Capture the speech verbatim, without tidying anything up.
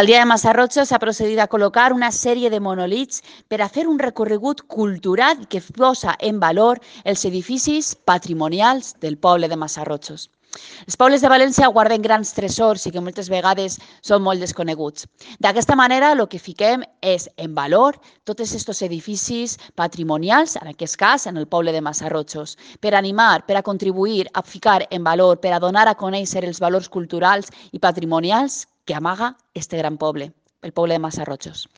Al dia de Massarrotxo s'ha procedit a col·locar una sèrie de monolits per a fer un recorregut cultural que posa en valor els edificis patrimonials del poble de Massarrotxos. Els pobles de València guarden grans tresors i que moltes vegades són molt desconeguts. D'aquesta manera, el que fiquem és en valor tots aquests edificis patrimonials, en aquest cas, en el poble de Massarrotxos, per animar, per a contribuir a ficar en valor, per a donar a conèixer els valors culturals i patrimonials que amaga este gran poble, el poble de Massarrotxos.